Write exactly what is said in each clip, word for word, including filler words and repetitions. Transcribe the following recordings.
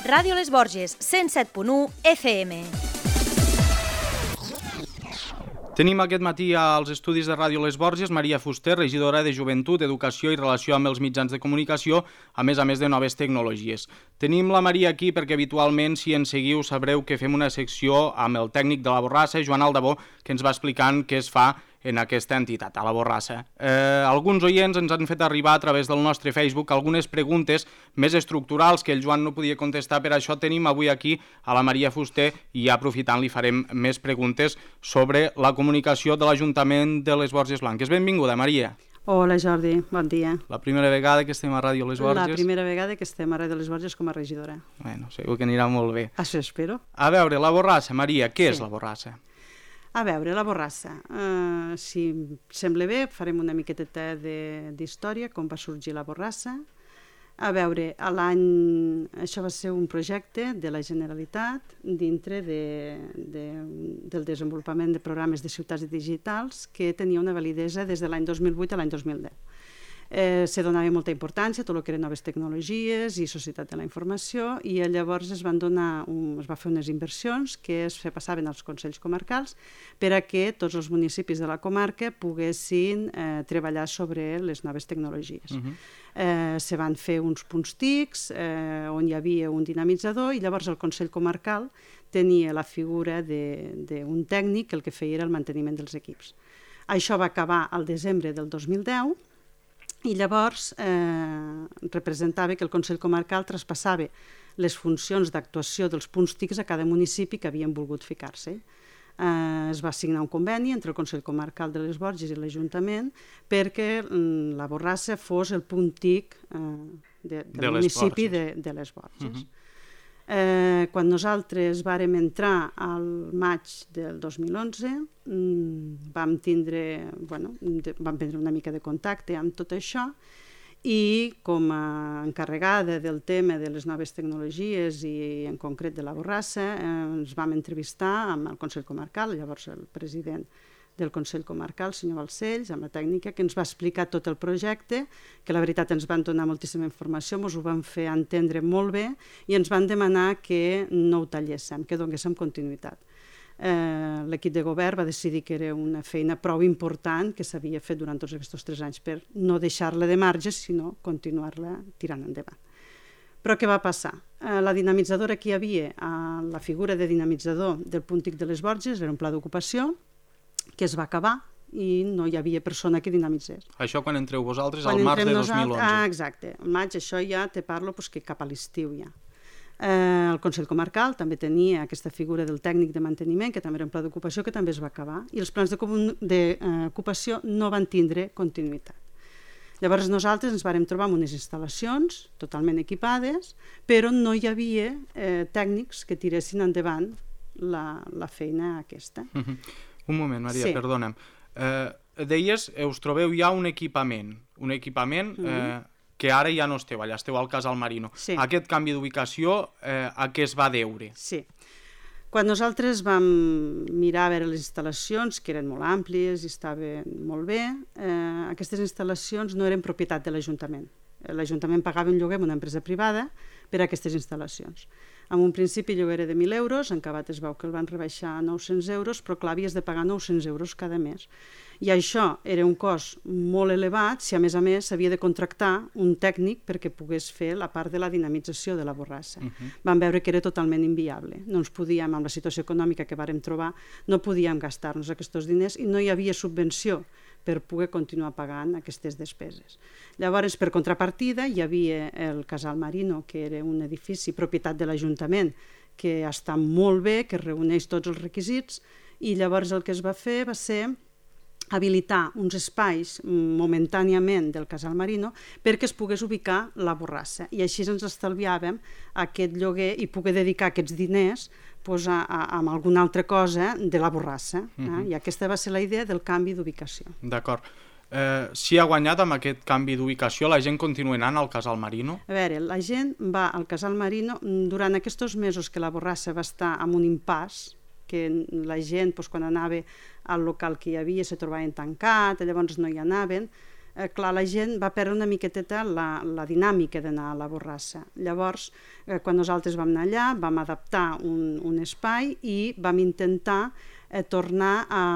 Ràdio Les Borges, cent set punt u F M. Tenim aquest matí als estudis de Ràdio Les Borges Maria Fuster, regidora de Joventut, Educació i Relació amb els mitjans de comunicació, a més a més de noves tecnologies. Tenim la Maria aquí perquè habitualment, si ens seguiu, sabreu que fem una secció amb el tècnic de la Borrassa, Joan Aldabó, que ens va explicant què es fa en aquesta entitat, a la Borrassa. Eh, alguns oients ens han fet arribar a través del nostre Facebook algunes preguntes més estructurals que el Joan no podia contestar, per això tenim avui aquí a la Maria Fuster i ja aprofitant li farem més preguntes sobre la comunicació de l'Ajuntament de les Borges Blanques. Benvinguda, Maria. Hola Jordi, bon dia. La primera vegada que estem a Ràdio Les Borges? La primera vegada que estem a Ràdio Les Borges com a regidora. Bueno, segur que anirà molt bé. Això espero. A veure, la Borrassa, Maria, què sí. és la Borrassa? A veure, la Borrassa, uh, si sembla bé, farem una miqueta d'història, com va sorgir la Borrassa. A veure, a l'any... Això va ser un projecte de la Generalitat dintre de, de, del desenvolupament de programes de ciutats digitals que tenia una validesa des de l'any dos mil vuit a l'any dos mil deu. Eh, se donava molta importància a tot el que eren noves tecnologies i societat de la informació i llavors es van donar un, es va fer unes inversions que es passaven als consells comarcals per a que tots els municipis de la comarca poguessin eh, treballar sobre les noves tecnologies. Uh-huh. eh, se van fer uns punts tics eh, on hi havia un dinamitzador i llavors el Consell Comarcal tenia la figura d'un tècnic que el que feia era el manteniment dels equips. Això va acabar al desembre del dos mil deu i llavors eh, representava que el Consell Comarcal traspassava les funcions d'actuació dels punts tics a cada municipi que havien volgut ficar-se. Eh, es va signar un conveni entre el Consell Comarcal de les Borges i l'Ajuntament perquè mm, la Borrassa fos el punt tic eh, de, del de municipi de, de les Borges. Uh-huh. Eh, quan nosaltres vàrem entrar al maig del dos mil onze mmm, vam tindre bueno, de, vam prendre una mica de contacte amb tot això i com a encarregada del tema de les noves tecnologies i en concret de la Borrassa eh, ens vam entrevistar amb el Consell Comarcal, llavors el president del Consell Comarcal, el senyor Balcells, amb la tècnica, que ens va explicar tot el projecte, que la veritat ens van donar moltíssima informació, ens ho van fer entendre molt bé i ens van demanar que no ho talléssim, que donéssim continuïtat. Eh, l'equip de govern va decidir que era una feina prou important que s'havia fet durant tots aquests tres anys per no deixar-la de marge, sinó continuar-la tirant endavant. Però què va passar? Eh, la dinamitzadora que hi havia, eh, la figura de dinamitzador del punt tic de les Borges, era un pla d'ocupació, que es va acabar i no hi havia persona que dinamitzés. Això quan entreu vosaltres al març de dos mil onze. Ah, exacte. Al maig això ja te parlo pues, que cap a l'estiu ja. Eh, el Consell Comarcal també tenia aquesta figura del tècnic de manteniment, que també era un pla d'ocupació, que també es va acabar, i els plans d'ocupació de, eh, no van tindre continuïtat. Llavors nosaltres ens vàrem trobar amb unes instal·lacions totalment equipades, però no hi havia eh, tècnics que tiressin endavant la, la feina aquesta. Uh-huh. Un moment, Maria, sí. perdona'm. Eh, deies, us trobeu ja un equipament, un equipament eh, que ara ja no esteu, allà esteu al Casal Marino. Sí. Aquest canvi d'ubicació, eh, a què es va deure? Sí. Quan nosaltres vam mirar a veure les instal·lacions, que eren molt àmplies i estaven molt bé, eh, aquestes instal·lacions no eren propietat de l'Ajuntament. L'Ajuntament pagava un lloguer amb una empresa privada per a aquestes instal·lacions. En un principi el lloguer era de mil euros, en acabat es veu que el van rebaixar a nou-cents euros, però clar, havies de pagar nou-cents euros cada mes. I això era un cost molt elevat si a més a més s'havia de contractar un tècnic perquè pogués fer la part de la dinamització de la Borrassa. Uh-huh. Vam veure que era totalment inviable. No ens podíem, amb la situació econòmica que vàrem trobar, no podíem gastar-nos aquests diners i no hi havia subvenció per poder continuar pagant aquestes despeses. Llavors, per contrapartida, hi havia el Casal Marino, que era un edifici propietat de l'Ajuntament, que està molt bé, que reuneix tots els requisits, i llavors el que es va fer va ser habilitar uns espais momentàniament del Casal Marino perquè es pogués ubicar la Borrassa. I així ens estalviàvem aquest lloguer i poder dedicar aquests diners pues, a, a, a alguna altra cosa de la Borrassa. Eh? Uh-huh. I aquesta va ser la idea del canvi d'ubicació. D'acord. Eh, si ha guanyat amb aquest canvi d'ubicació, la gent continua anant al Casal Marino? A veure, la gent va al Casal Marino durant aquests mesos que la Borrassa va estar en un impàs, que la gent, doncs, quan anava al local que hi havia, se trobaven tancat, llavors no hi anaven. eh, clar, la gent va perdre una miqueteta la, la dinàmica d'anar a la Borrassa. Llavors, eh, quan nosaltres vam anar allà, vam adaptar un, un espai i vam intentar eh, tornar a,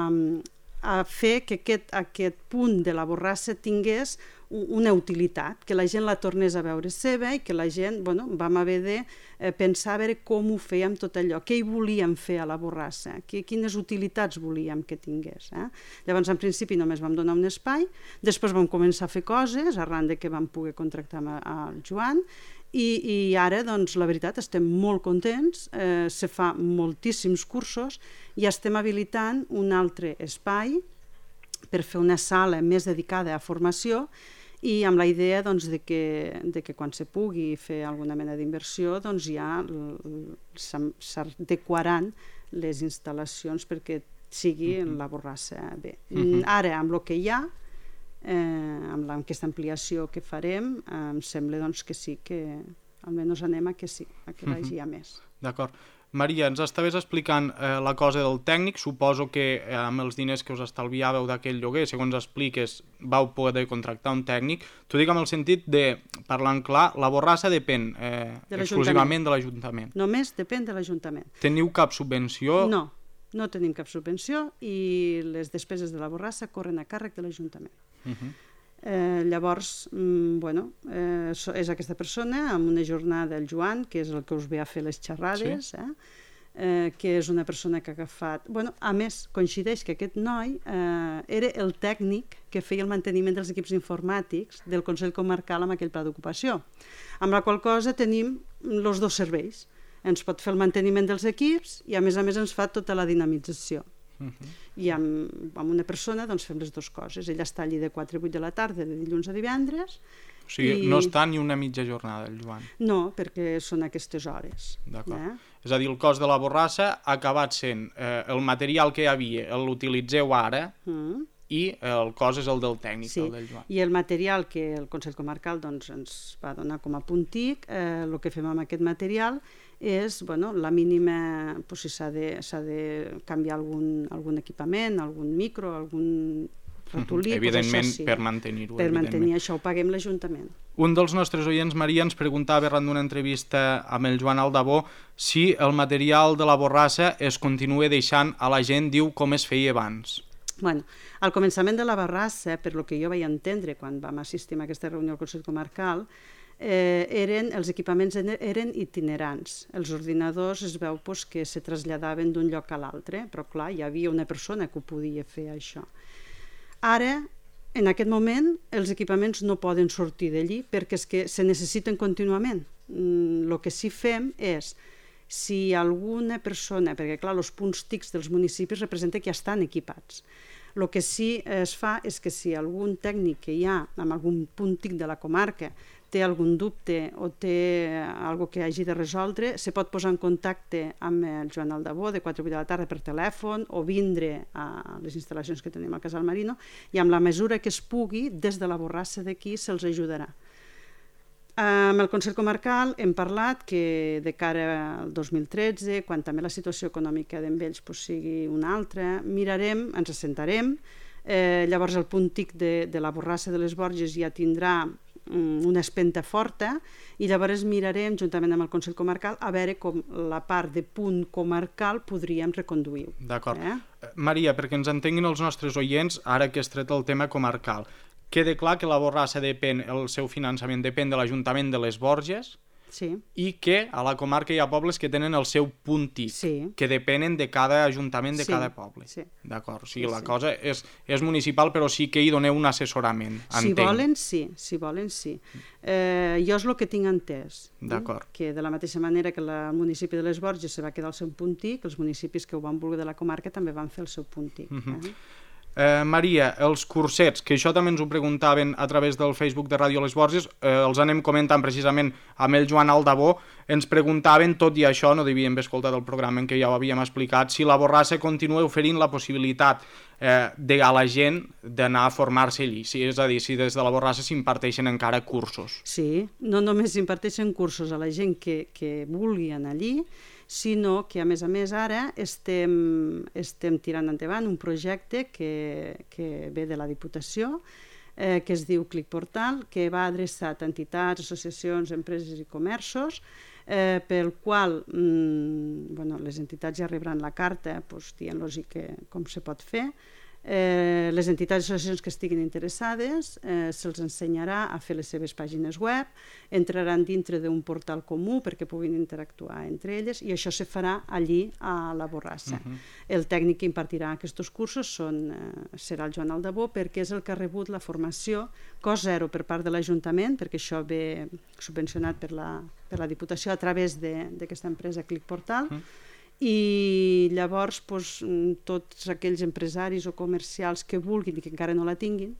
a fer que aquest, aquest punt de la Borrassa tingués una utilitat, que la gent la tornés a veure seva i que la gent, bueno, vam haver de eh, pensar a veure com ho fèiem tot allò, què hi volíem fer a la Borrassa, que, quines utilitats volíem que tingués. Eh? Llavors, en principi, només vam donar un espai, després vam començar a fer coses, arran de que vam poder contractar amb el Joan, i, i ara, doncs, la veritat, estem molt contents, eh, se fa moltíssims cursos i estem habilitant un altre espai per fer una sala més dedicada a formació i amb la idea doncs, de, que, de que quan se pugui fer alguna mena d'inversió doncs ja s'adequaran les instal·lacions perquè sigui uh-huh. la Borrassa bé. Uh-huh. Ara, amb el que hi ha, eh, amb aquesta ampliació que farem, eh, em sembla doncs, que sí, que almenys anem a que sí, a que uh-huh. vagi a més. D'acord. Maria, ens estaves explicant eh, la cosa del tècnic, suposo que eh, amb els diners que us estalviàveu d'aquell lloguer, segons expliques, vau poder contractar un tècnic. T'ho dic amb el sentit de, parlant clar, la Borrassa depèn eh, de exclusivament de l'Ajuntament. Només depèn de l'Ajuntament. Teniu cap subvenció? No, no tenim cap subvenció i les despeses de la Borrassa corren a càrrec de l'Ajuntament. Uh-huh. Eh, llavors, mm, bueno, eh, és aquesta persona amb una jornada, el Joan, que és el que us ve a fer les xerrades, sí. eh, eh, que és una persona que ha agafat... Bueno, a més, coincideix que aquest noi eh, era el tècnic que feia el manteniment dels equips informàtics del Consell Comarcal amb aquell pla d'ocupació, amb la qual cosa tenim els dos serveis. Ens pot fer el manteniment dels equips i a més a més ens fa tota la dinamització. Uh-huh. I amb, amb una persona doncs fem les dues coses. Ella està allí de quatre a vuit de la tarda de dilluns a divendres. O sigui, i... no està ni una mitja jornada el Joan? No, perquè són aquestes hores. D'acord. Eh? És a dir, el cost de la Borrassa ha acabat sent eh, el material que hi havia, l'utilitzeu ara, mm. i el cost és el del tècnic, sí. el del Joan. I el material que el Consell Comarcal doncs, ens va donar com a puntic, eh, el que fem amb aquest material és, bueno, la mínima, pues, si s'ha de, s'ha de canviar algun, algun equipament, algun micro, algun ratolí... Evidentment, pues això, sí. per mantenir-ho. Per mantenir això, ho paguem l'Ajuntament. Un dels nostres oients, Maria, ens preguntava arran d'una entrevista amb el Joan Aldabó si el material de la Borrassa es continua deixant a la gent, diu, com es feia abans. Bueno, al començament de la Borrassa, per lo que jo vaig entendre quan vam assistir a aquesta reunió al Consell Comarcal, Eh, eren, els equipaments eren itinerants. Els ordinadors es veu pues, que se traslladaven d'un lloc a l'altre, però clar, hi havia una persona que ho podia fer això. Ara, en aquest moment, els equipaments no poden sortir d'allí perquè és que se necessiten contínuament. El mm, que sí fem és, si alguna persona, perquè clar, els punts tics dels municipis representa que ja estan equipats. El que sí es fa és que si algun tècnic que hi ha amb algun punt tic de la comarca té algun dubte o té alguna que hagi de resoldre, se pot posar en contacte amb el Joan Aldabó de quatre a vuit de la tarda per telèfon o vindre a les instal·lacions que tenim al Casal Marino i amb la mesura que es pugui, des de la Borrassa d'aquí se'ls ajudarà. Amb el Consell Comarcal hem parlat que de cara al dos mil tretze, quan també la situació econòmica d'Envells pues, sigui una altra, mirarem, ens assentarem, eh, llavors el punt tic de, de la Borrassa de les Borges ja tindrà una espenta forta i llavors mirarem juntament amb el Consell Comarcal a veure com la part de punt comarcal podríem reconduir-ho. D'acord. Eh? Maria, perquè ens entenguin els nostres oients, ara que has tret el tema comarcal, queda clar que la Borrassa depèn, el seu finançament depèn de l'Ajuntament de les Borges, sí. i que a la comarca hi ha pobles que tenen el seu punt tic, sí. que depenen de cada ajuntament de sí. cada poble. Sí. D'acord, o sigui, sí, la sí. cosa és, és municipal, però sí que hi doneu un assessorament, si entenc. Volen, sí, si volen, sí. Eh, jo és el que tinc entès. D'acord. Eh? Que de la mateixa manera que el municipi de les Borges se va quedar el seu punt tic, els municipis que ho van voler de la comarca també van fer el seu punt tic. Uh-huh. eh? Eh, Maria, els cursets, que això també ens ho preguntaven a través del Facebook de Ràdio Les Borges, eh, els anem comentant precisament amb el Joan Aldabó, ens preguntaven, tot i això, no devíem haver escoltat el programa en què ja ho havíem explicat, si la Borrassa continua oferint la possibilitat eh, de a la gent d'anar a formar-se allí, si, és a dir, si des de la Borrassa s'imparteixen encara cursos. Sí, no només s'imparteixen cursos a la gent que, que vulgui anar allí, sinó que, a més a més, ara estem, estem tirant endavant un projecte que, que ve de la Diputació, eh, que es diu Clic Portal, que va adreçat a entitats, associacions, empreses i comerços, eh, pel qual mm, bueno, les entitats ja rebran la carta pues, dient-los com se pot fer. Eh, les entitats i associacions que estiguin interessades eh, se'ls ensenyarà a fer les seves pàgines web, entraran dintre d'un portal comú perquè puguin interactuar entre elles i això se farà allí a la Borrassa. Uh-huh. El tècnic que impartirà aquests cursos són, eh, serà el Joan Aldabó, perquè és el que ha rebut la formació cost zero per part de l'Ajuntament, perquè això ve subvencionat per la, per la Diputació a través d'aquesta empresa Clic Portal. Uh-huh. I llavors doncs, tots aquells empresaris o comercials que vulguin i que encara no la tinguin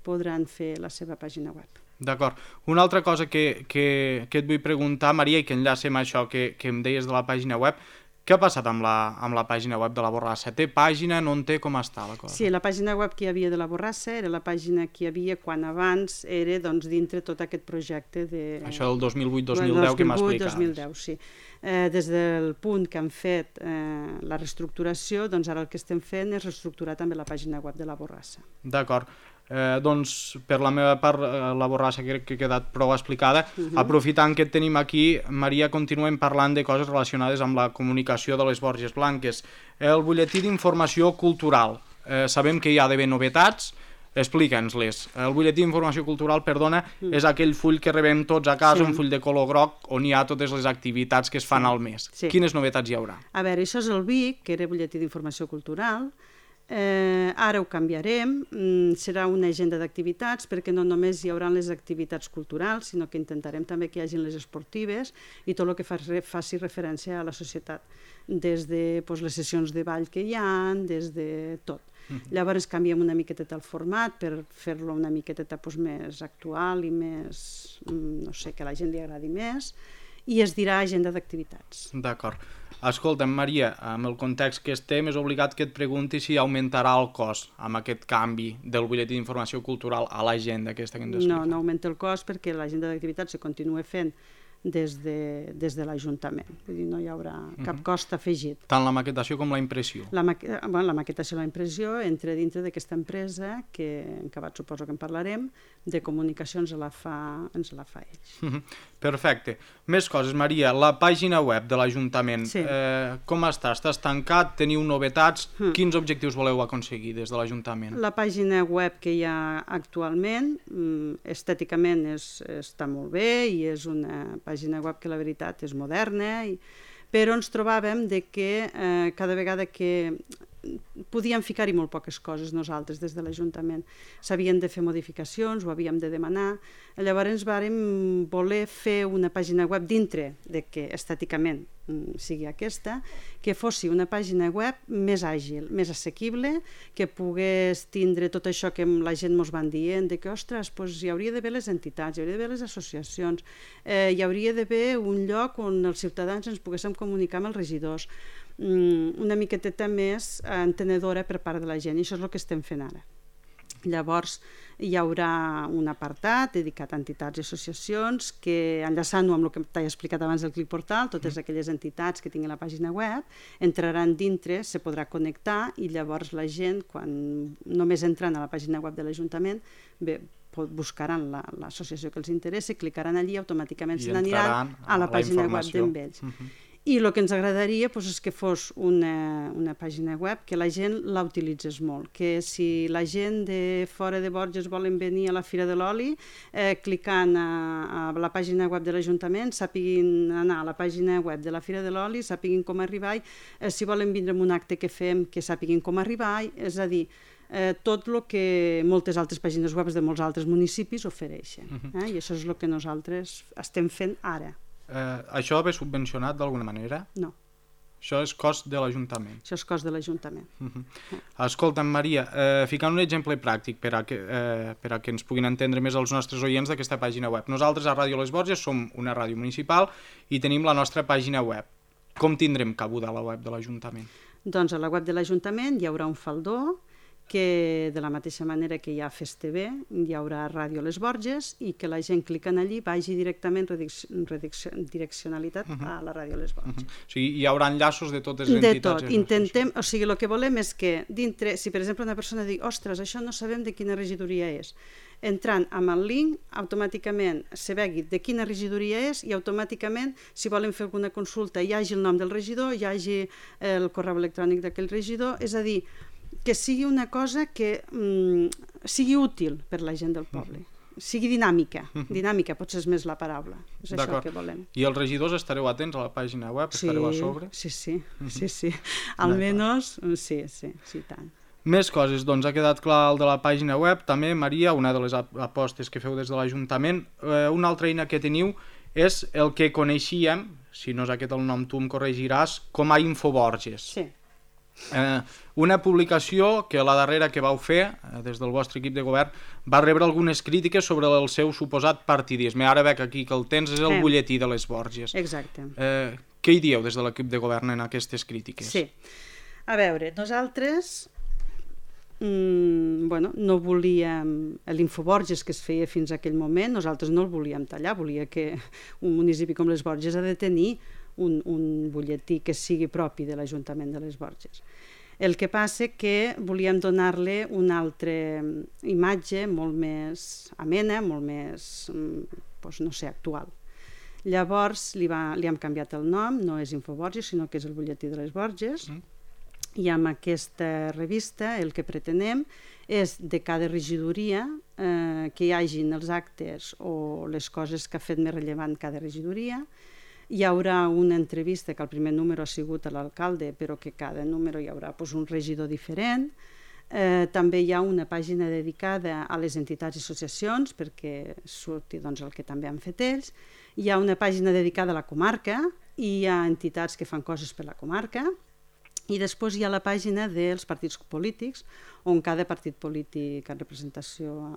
podran fer la seva pàgina web. D'acord. Una altra cosa que, que, que et vull preguntar, Maria, i que enllaça amb això que, que em deies de la pàgina web, què ha passat amb la, amb la pàgina web de la Borrassa? Té pàgina, no en té, com està la cosa? Sí, la pàgina web que hi havia de la Borrassa era la pàgina que hi havia quan abans era doncs, dintre tot aquest projecte de... Això del dos mil vuit dos mil deu que m'explicaves. dos mil deu, sí. Eh, des del punt que han fet eh, la reestructuració, doncs ara el que estem fent és reestructurar també la pàgina web de la Borrassa. D'acord. Eh, doncs per la meva part eh, la Borrassa crec que ha quedat prou explicada. Uh-huh. Aprofitant que et tenim aquí, Maria, continuem parlant de coses relacionades amb la comunicació de les Borges Blanques. El butlletí d'informació cultural, eh, sabem que hi ha d'haver novetats, explica'ns-les. El butlletí d'informació cultural, perdona, uh-huh. és aquell full que rebem tots a casa, sí. Un full de color groc on hi ha totes les activitats que es fan sí. al mes. Sí. Quines novetats hi haurà? A veure, això és el B I C, que era butlletí d'informació cultural. Eh, ara ho canviarem, mm, serà una agenda d'activitats perquè no només hi haurà les activitats culturals, sinó que intentarem també que hi hagin les esportives i tot el que faci, faci referència a la societat, des de pues, les sessions de ball que hi ha, des de tot. Uh-huh. Llavors canviem una miqueteta el format per fer-lo una miqueteta pues, més actual i més, no sé, que a la gent li agradi més, i es dirà agenda d'activitats. D'acord. Escolta'm, Maria, amb el context que estem és obligat que et pregunti si augmentarà el cost amb aquest canvi del butlletí d'informació cultural a l'agenda aquesta que ens explica. No, no augmenta el cost perquè l'agenda d'activitats se continua fent des de, des de l'Ajuntament. Vull dir, no hi haurà cap cost afegit. Tant la maquetació com la impressió. La, maqu bueno, la maquetació i la impressió entra dintre d'aquesta empresa que en acabat suposo que en parlarem, de comunicació ens la fa, ens la fa ells. Perfecte. Més coses, Maria. La pàgina web de l'Ajuntament, sí. eh, com està? Estàs tancat? Teniu novetats? Mm. Quins objectius voleu aconseguir des de l'Ajuntament? La pàgina web que hi ha actualment, estèticament és, està molt bé i és una pàgina web que la veritat és moderna, i... però ens trobàvem de que eh, cada vegada que podíem ficar-hi molt poques coses nosaltres des de l'Ajuntament. S'havien de fer modificacions, ho havíem de demanar. Llavors vàrem voler fer una pàgina web dintre de que estèticament sigui aquesta, que fossi una pàgina web més àgil, més assequible, que pogués tindre tot això que la gent ens van dient, de que, ostres, doncs hi hauria d'haver les entitats, hi hauria d'haver les associacions, eh, hi hauria d'haver un lloc on els ciutadans ens poguéssim comunicar amb els regidors, una miqueteta més entenedora per part de la gent, i això és el que estem fent ara. Llavors hi haurà un apartat dedicat a entitats i associacions que, enllaçant-ho amb el que t'he explicat abans del Clic Portal, totes aquelles entitats que tinguin la pàgina web entraran dintre, se podrà connectar, i llavors la gent, quan només entrant a la pàgina web de l'Ajuntament, bé, buscaran l'associació que els interessa, clicaran allí i automàticament se n'aniran a la pàgina web d'ells. I el que ens agradaria doncs, és que fos una, una pàgina web que la gent la utilitzés molt, que si la gent de fora de Borges volen venir a la Fira de l'Oli, eh, clicant a, a la pàgina web de l'Ajuntament, sàpiguin anar a la pàgina web de la Fira de l'Oli, sàpiguin com arribar, eh, si volen vindre a un acte que fem, que sàpiguin com arribar, és a dir, eh, tot el que moltes altres pàgines web de molts altres municipis ofereixen. Eh? I això és el que nosaltres estem fent ara. Eh, això ve subvencionat d'alguna manera? No. Això és cost de l'Ajuntament? Això és cost de l'Ajuntament. Uh-huh. Escolta'm, Maria, eh, ficant un exemple pràctic per a, que, eh, per a que ens puguin entendre més els nostres oients d'aquesta pàgina web. Nosaltres a Ràdio Les Borges som una ràdio municipal i tenim la nostra pàgina web. Com tindrem cabuda a la web de l'Ajuntament? Doncs a la web de l'Ajuntament hi haurà un faldó que de la mateixa manera que hi ha Fes T V, hi haurà Ràdio Les Borges, i que la gent clicant allí vagi directament direccionalitat uh-huh. a la Ràdio Les Borges. Uh-huh. O sigui, hi haurà enllaços de totes les entitats? De tot. Intentem, o sigui, el que volem és que dintre, si per exemple una persona diu, ostres, això no sabem de quina regidoria és, entrant amb el link, automàticament se vegi de quina regidoria és i automàticament, si volen fer alguna consulta, hi hagi el nom del regidor, hi hagi el correu electrònic d'aquell regidor, és a dir, que sigui una cosa que mm, sigui útil per la gent del poble. Sigui dinàmica, dinàmica potser és més la paraula, és això que volem. I els regidors estareu atents a la pàgina web? Sí, estareu a sobre? Sí, sí, sí, sí. Almenys, sí, sí, sí, tant. Més coses, doncs ha quedat clar el de la pàgina web, també, Maria, una de les apostes que feu des de l'Ajuntament. Eh, una altra eina que teniu és el que coneixíem, si no és aquest el nom tu em corregiràs, com a Infoborges. Sí. Eh, una publicació que la darrera que vau fer eh, des del vostre equip de govern va rebre algunes crítiques sobre el seu suposat partidisme. Ara veig aquí que el tens és el eh. butlletí de les Borges. Exacte. Eh, què hi dieu des de l'equip de govern en aquestes crítiques? Sí. A veure, nosaltres mm, bueno, no volíem l'Infoborges que es feia fins a aquell moment, nosaltres no el volíem tallar, volia que un municipi com les Borges ha de tenir Un, un butlletí que sigui propi de l'Ajuntament de les Borges. El que passa que volíem donar-li una altra imatge molt més amena, molt més, doncs, no sé, actual. Llavors li, va, li hem canviat el nom, no és Infoborges, sinó que és el butlletí de les Borges, mm. i amb aquesta revista el que pretenem és de cada regidoria eh, que hi hagin els actes o les coses que ha fet més rellevant cada regidoria. Hi haurà una entrevista, que el primer número ha sigut a l'alcalde, però que cada número hi haurà doncs, un regidor diferent. Eh, també hi ha una pàgina dedicada a les entitats i associacions, perquè surti doncs, el que també han fet ells. Hi ha una pàgina dedicada a la comarca, i hi ha entitats que fan coses per la comarca. I després hi ha la pàgina dels partits polítics, on cada partit polític en representació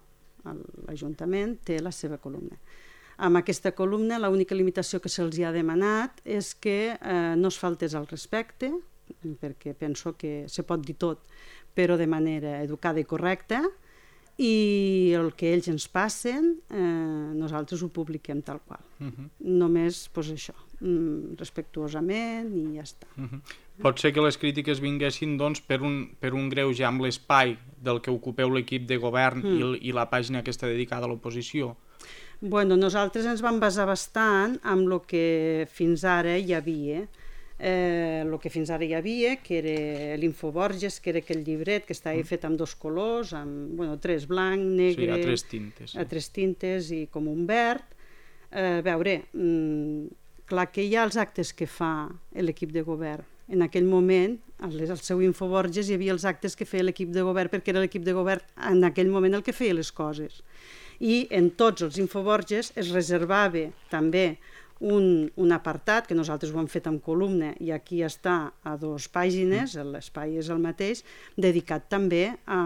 a l'Ajuntament té la seva columna. Amb aquesta columna l'única limitació que se'ls ha demanat és que eh, no es faltés al respecte, perquè penso que se pot dir tot, però de manera educada i correcta, i el que ells ens passen eh, nosaltres ho publiquem tal qual. Uh-huh. Només pues, això, respectuosament i ja està. Uh-huh. Pot ser que les crítiques vinguessin doncs, per, un, per un greuge amb l'espai del que ocupeu l'equip de govern mm. i, i la pàgina que està dedicada a l'oposició? Bueno, nosaltres ens vam basar bastant amb el que fins ara hi havia. Eh, el que fins ara hi havia, que era l'Infoborges, que era aquell llibret que estava mm. fet amb dos colors, amb bueno, tres blanc, negre... Sí, a tres tintes. Sí. A tres tintes i com un verd. Eh, veure, mm, clar que hi ha els actes que fa l'equip de govern. En aquell moment, al seu Infoborges, hi havia els actes que feia l'equip de govern, perquè era l'equip de govern en aquell moment el que feia les coses. I en tots els Infoborges es reservava també un, un apartat, que nosaltres ho hem fet amb columna, i aquí està a dues pàgines, l'espai és el mateix, dedicat també a,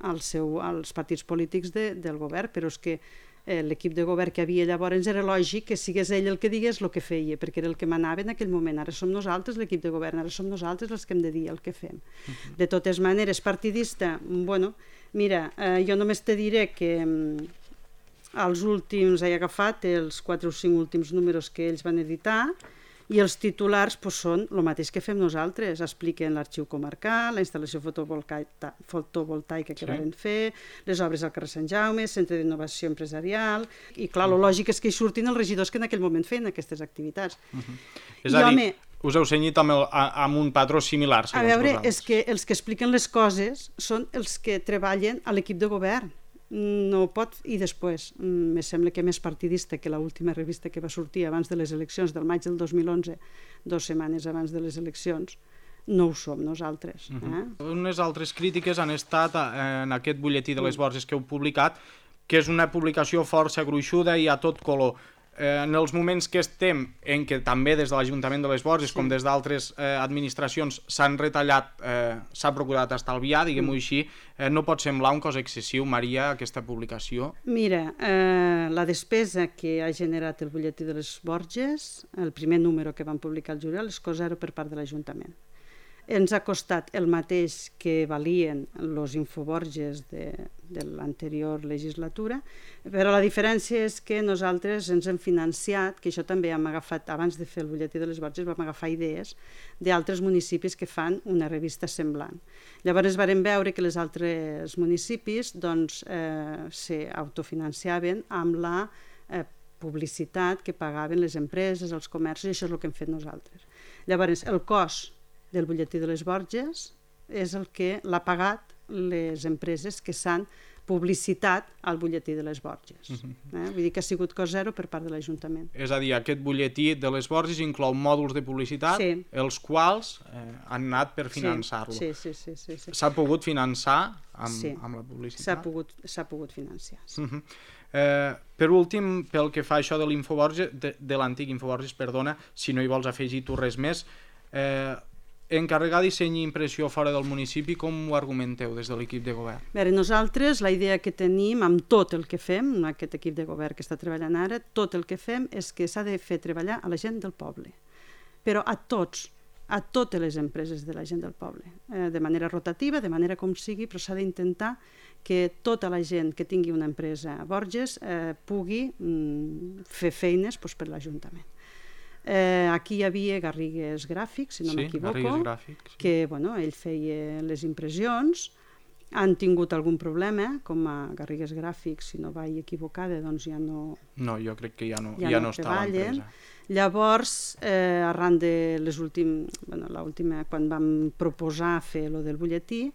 al seu, als partits polítics de, del govern, però és que eh, l'equip de govern que havia llavors era lògic que sigués ell el que digués el que feia, perquè era el que manava en aquell moment. Ara som nosaltres l'equip de govern, ara som nosaltres els que hem de dir el que fem. Uh-huh. De totes maneres, partidista, bueno, mira, eh, jo només te diré que mm, els últims, he agafat els quatre o cinc últims números que ells van editar, i els titulars pues, són el mateix que fem nosaltres, expliquen l'arxiu comarcal, la instal·lació fotovoltaica, fotovoltaica que sí. van fer, les obres al carrer Sant Jaume, centre d'innovació empresarial, i clar, el lògic és que hi surtin els regidors que en aquell moment feien aquestes activitats. Uh-huh. És I, a dir, home, us heu cenyit amb, el, amb un patró similar, segons vosaltres. A veure, vosaltres. És que els que expliquen les coses són els que treballen a l'equip de govern. No pot, i després me sembla que més partidista que l'última revista que va sortir abans de les eleccions del maig del dos mil onze, dues setmanes abans de les eleccions, no ho som nosaltres. Uh-huh. eh? Unes altres crítiques han estat en aquest butlletí de les Borges que heu publicat, que és una publicació força gruixuda i a tot color. Eh, en els moments que estem, en què també des de l'Ajuntament de les Borges, sí. com des d'altres eh, administracions, s'han retallat, eh, s'ha procurat estalviar, diguem-ho mm. així, eh, no pot semblar un cos excessiu, Maria, aquesta publicació? Mira, eh, la despesa que ha generat el butlletí de les Borges, el primer número que van publicar al juliol, és cosa zero per part de l'Ajuntament. ens ha costat el mateix que valien els Infoborges de, de l'anterior legislatura, però la diferència és que nosaltres ens hem financiat, que això també hem agafat, abans de fer el butlletí de les Borges, vam agafar idees d'altres municipis que fan una revista semblant. Llavors vam veure que els altres municipis doncs, eh, s'autofinanciaven amb la eh, publicitat que pagaven les empreses, els comerços, i això és el que hem fet nosaltres. Llavors, el cost del butlletí de les Borges és el que l'ha pagat les empreses que s'han publicitat al butlletí de les Borges. Uh-huh. eh? Vull dir que ha sigut cost zero per part de l'Ajuntament. És a dir, aquest butlletí de les Borges inclou mòduls de publicitat, sí. els quals eh, han anat per finançar-lo. Sí, sí, sí. sí, sí. S'ha pogut finançar amb, sí. amb la publicitat? S'ha pogut, s'ha pogut financiar. Sí. Uh-huh. Eh, per últim, pel que fa això de l'Infoborges, de, de l'antic Infoborges, perdona, si no hi vols afegir tu res més, eh, encarregar disseny i impressió fora del municipi, com ho argumenteu des de l'equip de govern? Bé, nosaltres la idea que tenim amb tot el que fem, aquest equip de govern que està treballant ara, tot el que fem és que s'ha de fer treballar a la gent del poble, però a tots, a totes les empreses de la gent del poble, eh, de manera rotativa, de manera com sigui, però s'ha d'intentar que tota la gent que tingui una empresa a Borges eh, pugui mm, fer feines doncs, per l'Ajuntament. Eh, aquí hi havia Garrigues Gràfics, si no sí, m'equivoco, Gràfics, sí. que bueno, ell feia les impressions, han tingut algun problema, com a Garrigues Gràfics, si no vaig equivocada, doncs ja no... No, jo crec que ja no, ja ja no, no està a l'empresa. Llavors, eh, arran de les últimes... Bueno, l'última, quan vam proposar fer lo del butlletí,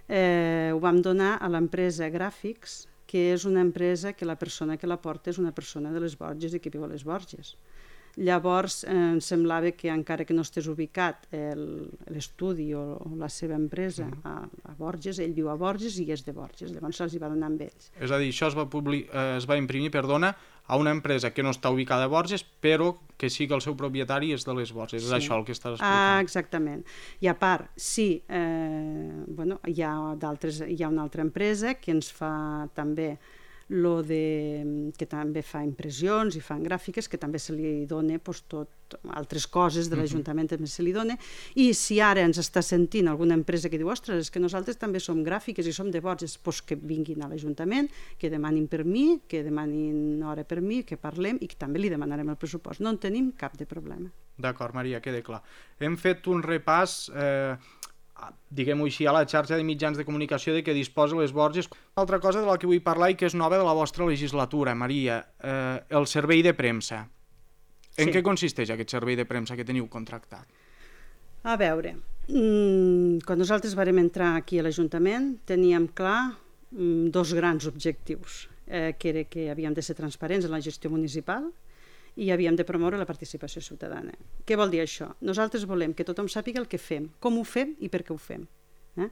eh, ho vam donar a l'empresa Gràfics, que és una empresa que la persona que la porta és una persona de les Borges i que viu a les Borges. Llavors eh, em semblava que encara que no estés ubicat l'estudi o, o la seva empresa a, a Borges, ell viu a Borges i és de Borges, llavors se'ls va donar amb ells. És a dir, això es va, publi eh, es va imprimir perdona, a una empresa que no està ubicada a Borges, però que sí que el seu propietari és de les Borges. Sí. És això el que estàs explicant. Ah, exactament. I a part, sí, eh, bueno, hi ha d'altres, hi ha una altra empresa que ens fa també lo de, que també fa impressions i fan gràfiques, que també se li dona pues, tot, altres coses de l'Ajuntament també se li dona, i si ara ens està sentint alguna empresa que diu ostres, és que nosaltres també som gràfiques i som de Borges, pues, que vinguin a l'Ajuntament, que demanin per mi, que demanin hora per mi, que parlem i que també li demanarem el pressupost. No en tenim cap de problema. D'acord, Maria, queda clar. Hem fet un repàs eh, diguem-ho així, a la xarxa de mitjans de comunicació de què disposa les Borges. Una altra cosa de la que vull parlar i que és nova de la vostra legislatura, Maria, eh, el servei de premsa. En sí. Què consisteix aquest servei de premsa que teniu contractat? A veure, mmm, quan nosaltres vam entrar aquí a l'Ajuntament teníem clar mmm, dos grans objectius, eh, que era que havíem de ser transparents en la gestió municipal i havíem de promoure la participació ciutadana. Què vol dir això? Nosaltres volem que tothom sàpiga el que fem, com ho fem i per què ho fem. Eh?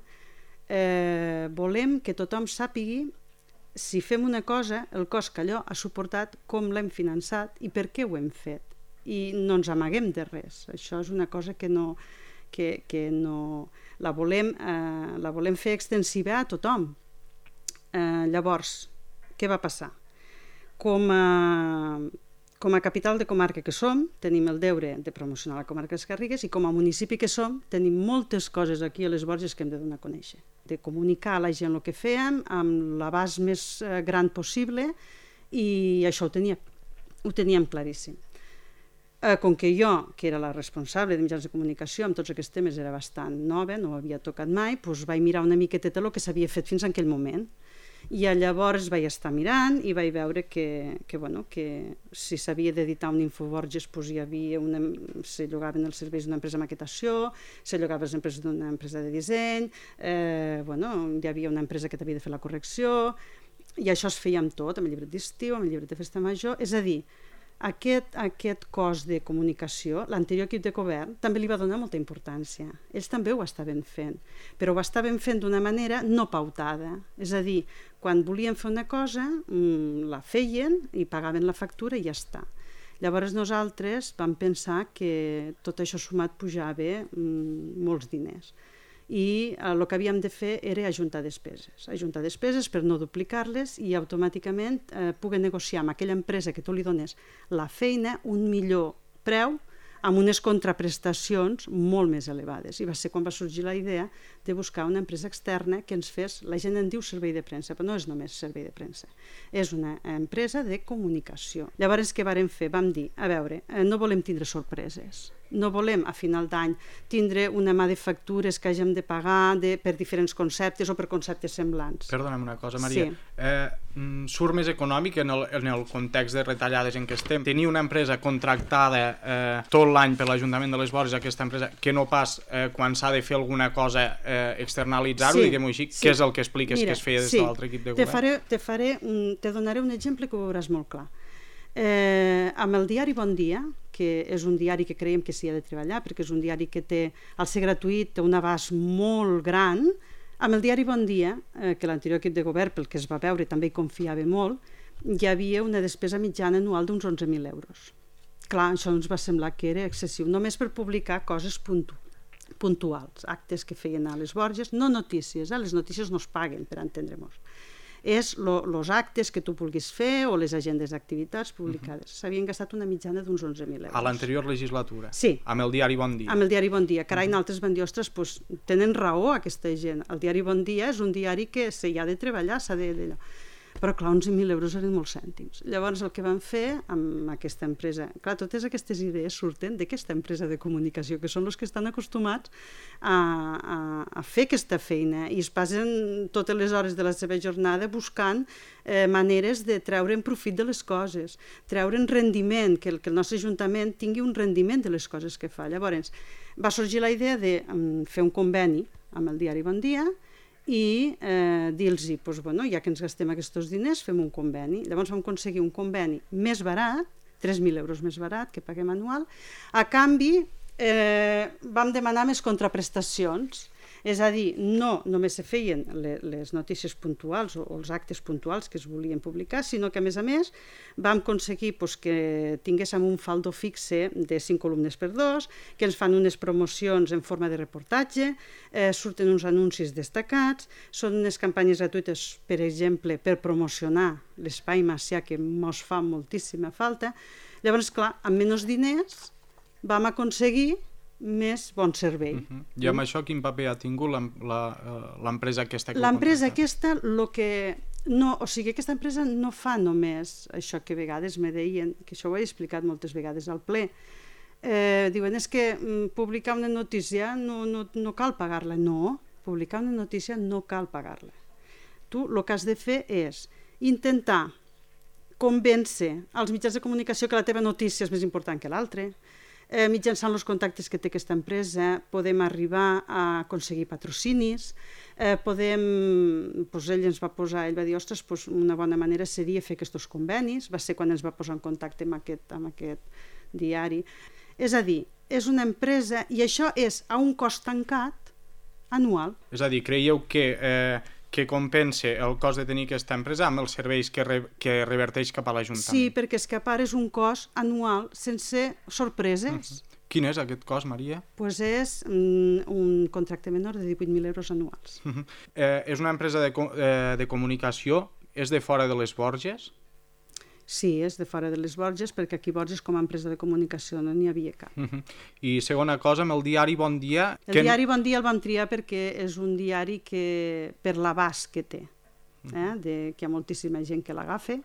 Eh, volem que tothom sàpigui si fem una cosa, el cost que allò ha suportat, com l'hem finançat i per què ho hem fet. I no ens amaguem de res. Això és una cosa que no... Que, que no la, volem, eh, la volem fer extensiva a tothom. Eh, llavors, què va passar? Com a... Com a capital de comarca que som, tenim el deure de promocionar la comarca de les Garrigues i com a municipi que som, tenim moltes coses aquí a les Borges que hem de donar a conèixer. De comunicar a la gent el que fèiem amb l'abast més gran possible i això ho teníem, ho teníem claríssim. Eh, com que jo, que era la responsable de mitjans de comunicació, amb tots aquests temes era bastant nova, no ho havia tocat mai, doncs vaig mirar una miqueta el que s'havia fet fins en aquell moment. I llavors vaig estar mirant i vaig veure que, que, bueno, que si s'havia d'editar un Infoborges doncs hi havia una, se llogaven els serveis d'una empresa de maquetació, se llogaven les empreses d'una empresa de disseny, eh, bueno, hi havia una empresa que t'havia de fer la correcció i això es feia amb tot, amb el llibret d'estiu, amb el llibret de festa major, és a dir, Aquest, aquest cos de comunicació, l'anterior equip de govern també li va donar molta importància. Ells també ho estaven fent, però ho estaven fent d'una manera no pautada. És a dir, quan volien fer una cosa, la feien i pagaven la factura i ja està. Llavors nosaltres vam pensar que tot això sumat pujava molts diners. I el que havíem de fer era ajuntar despeses. Ajuntar despeses per no duplicar-les i automàticament eh, poder negociar amb aquella empresa que tu li dones la feina un millor preu amb unes contraprestacions molt més elevades. I va ser quan va sorgir la idea de buscar una empresa externa que ens fes, la gent en diu servei de premsa, però no és només servei de premsa, és una empresa de comunicació. Llavors, què vàrem fer? Vam dir, a veure, no volem tindre sorpreses, no volem a final d'any tindre una mà de factures que hàgim de pagar de, per diferents conceptes o per conceptes semblants. Perdona'm una cosa, Maria. Sí. Eh, surt més econòmic en el, en el context de retallades en què estem tenir una empresa contractada eh, tot l'any per l'Ajuntament de les Borges, aquesta empresa, que no pas eh, quan s'ha de fer alguna cosa eh, externalitzar-ho, sí, diguem-ho així, sí. Què és el que expliques Mira, que es feia des sí. de l'altre equip de govern? Te, faré, te, faré un, te donaré un exemple que ho veuràs molt clar. Eh, amb el diari Bon Dia, que és un diari que creiem que s'hi ha de treballar perquè és un diari que té, al ser gratuït, té un abast molt gran. Amb el diari Bon Dia, eh, que l'anterior equip de govern, pel que es va veure, també hi confiava molt, hi havia una despesa mitjana anual d'uns onze mil euros. Clar, això ens va semblar que era excessiu, només per publicar coses puntu puntuals, actes que feien a les Borges, no notícies, eh? Les notícies no es paguen, per entendre-nos. És els actes que tu vulguis fer o les agendes d'activitats publicades. Uh-huh. S'havien gastat una mitjana d'uns onze mil euros. A l'anterior legislatura? Sí. Amb el diari Bon Dia? Amb el diari Bon Dia. Carai, uh-huh. Nosaltres vam dir, ostres, pues, tenen raó aquesta gent. El diari Bon Dia és un diari que s'hi ha de treballar, s'ha de... d'allò. Però clar, onze mil euros eren molts cèntims. Llavors el que vam fer amb aquesta empresa, clar, totes aquestes idees surten d'aquesta empresa de comunicació, que són els que estan acostumats a, a, a fer aquesta feina i es passen totes les hores de la seva jornada buscant eh, maneres de treure'n profit de les coses, treure'n rendiment, que el, que el nostre Ajuntament tingui un rendiment de les coses que fa. Llavors va sorgir la idea de um, fer un conveni amb el diari Bon Dia i eh, dir-los, doncs, bueno, ja que ens gastem aquests diners, fem un conveni. Llavors vam aconseguir un conveni més barat, tres mil euros més barat que paguem anual. A canvi, eh, vam demanar més contraprestacions. És a dir, no només se feien les notícies puntuals o els actes puntuals que es volien publicar, sinó que, a més a més, vam aconseguir pues, que tinguéssim un faldo fixe de cinc columnes per dos, que ens fan unes promocions en forma de reportatge, eh, surten uns anuncis destacats, són unes campanyes gratuïtes, per exemple, per promocionar l'espai macià que ens fa moltíssima falta. Llavors, clar, amb menys diners vam aconseguir més bon servei. Uh-huh. I amb mm. això quin paper ha tingut l'empresa aquesta? L'empresa aquesta, lo que no, o sigui, aquesta empresa no fa només això que a vegades me deien, que això ho he explicat moltes vegades al ple, eh, diuen, és que mm, publicar una notícia no, no, no cal pagar-la. No, publicar una notícia no cal pagar-la. Tu el que has de fer és intentar convèncer als mitjans de comunicació que la teva notícia és més important que l'altra. Eh, mitjançant els contactes que té aquesta empresa podem arribar a aconseguir patrocinis, eh, podem, doncs ell ens va posar, ell va dir, ostres, doncs una bona manera seria fer aquests convenis, va ser quan ens va posar en contacte amb aquest, amb aquest diari. És a dir, és una empresa i això és a un cost tancat anual. És a dir, creieu que... Eh... que compensa el cost de tenir aquesta empresa amb els serveis que, re, que reverteix cap a l'Ajuntament. Sí, perquè és que a part és un cost anual sense sorpreses. Uh-huh. Quin és aquest cost, Maria? Pues és um, un contracte menor de divuit mil euros anuals. Uh-huh. eh, és una empresa de, eh, de comunicació, és de fora de les Borges? Sí, és de fora de les Borges, perquè aquí Borges com a empresa de comunicació no n'hi havia cap. Uh-huh. I segona cosa, amb el diari Bon Dia... El que... diari Bon Dia el vam triar perquè és un diari que, per l'abast que té, eh? de, que hi ha moltíssima gent que l'agafa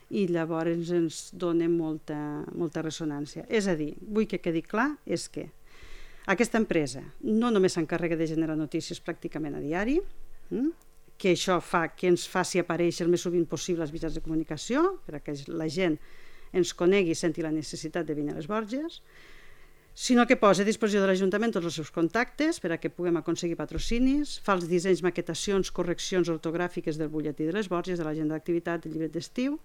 i llavors ens dona molta, molta ressonància. És a dir, vull que quedi clar, és que aquesta empresa no només s'encarrega de generar notícies pràcticament a diari, hm? que això fa que ens faci aparèixer el més sovint possible als mitjans de comunicació, perquè la gent ens conegui i senti la necessitat de venir a les Borges, sinó que posa a disposició de l'Ajuntament tots els seus contactes per a que puguem aconseguir patrocinis, fa els dissenys, maquetacions, correccions ortogràfiques del butlletí de les Borges, de l'agenda d'activitat, del llibret d'estiu,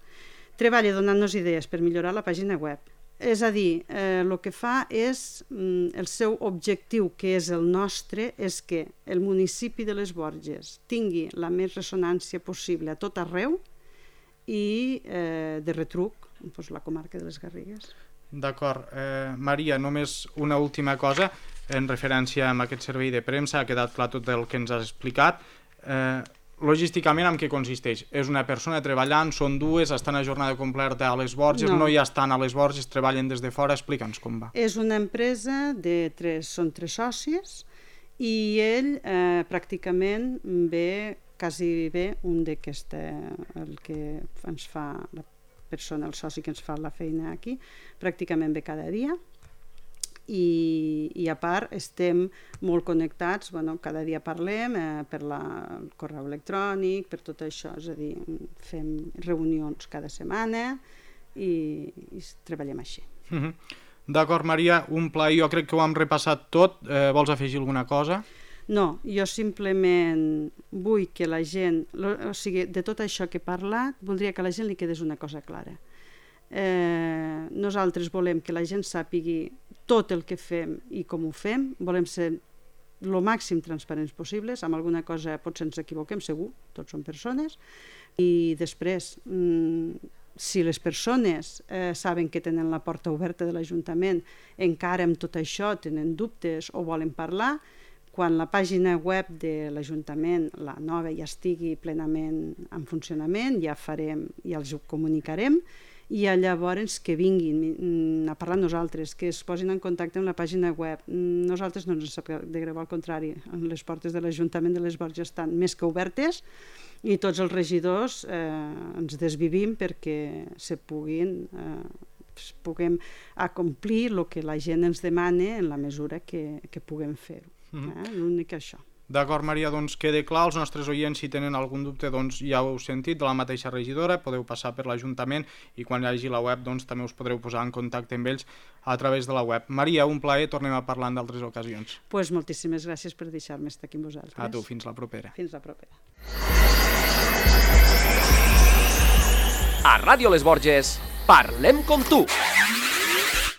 treballa donant-nos idees per millorar la pàgina web. És a dir, eh, el que fa és, mm, el seu objectiu, que és el nostre, és que el municipi de les Borges tingui la més ressonància possible a tot arreu i eh, de retruc, doncs, la comarca de les Garrigues. D'acord. Eh, Maria, només una última cosa en referència a aquest servei de premsa, ha quedat clar tot el que ens has explicat. Eh, logísticament en què consisteix? És una persona treballant, són dues, estan a jornada completa a les Borges, No. no, no hi estan a les Borges, treballen des de fora, explica'ns com va. És una empresa de tres, són tres socis i ell eh, pràcticament ve, quasi bé, un d'aquesta, el que ens fa la persona, el soci que ens fa la feina aquí, pràcticament ve cada dia. I, i a part estem molt connectats, bueno, cada dia parlem eh, per la, el correu electrònic, per tot això, és a dir, fem reunions cada setmana i, i treballem així. Uh-huh. D'acord, Maria, un plaer, jo crec que ho hem repassat tot, eh, vols afegir alguna cosa? No, jo simplement vull que la gent, o sigui, de tot això que he parlat, voldria que a la gent li quedés una cosa clara. Eh, nosaltres volem que la gent sàpigui tot el que fem i com ho fem, volem ser el màxim transparents possibles, amb alguna cosa potser ens equivoquem, segur, tots són persones, i després, si les persones eh, saben que tenen la porta oberta de l'Ajuntament, encara amb tot això tenen dubtes o volen parlar, quan la pàgina web de l'Ajuntament, la nova, ja estigui plenament en funcionament, ja farem, ja els ho comunicarem, i llavors que vinguin a parlar amb nosaltres, que es posin en contacte amb la pàgina web. Nosaltres no ens sap de greu, al contrari, les portes de l'Ajuntament de les Borges estan més que obertes i tots els regidors eh, ens desvivim perquè se puguin, eh, puguem acomplir el que la gent ens demana en la mesura que, que puguem fer-ho. Mm-hmm. eh? L'únic això. D'acord, Maria, doncs queda clar, els nostres oients, si tenen algun dubte, doncs ja ho heu sentit, de la mateixa regidora, podeu passar per l'Ajuntament i quan hi hagi la web, doncs també us podreu posar en contacte amb ells a través de la web. Maria, un plaer, tornem a parlar en d'altres ocasions. Doncs pues moltíssimes gràcies per deixar-me estar aquí amb vosaltres. A tu, fins la propera. Fins la propera. A Ràdio Les Borges, parlem com tu.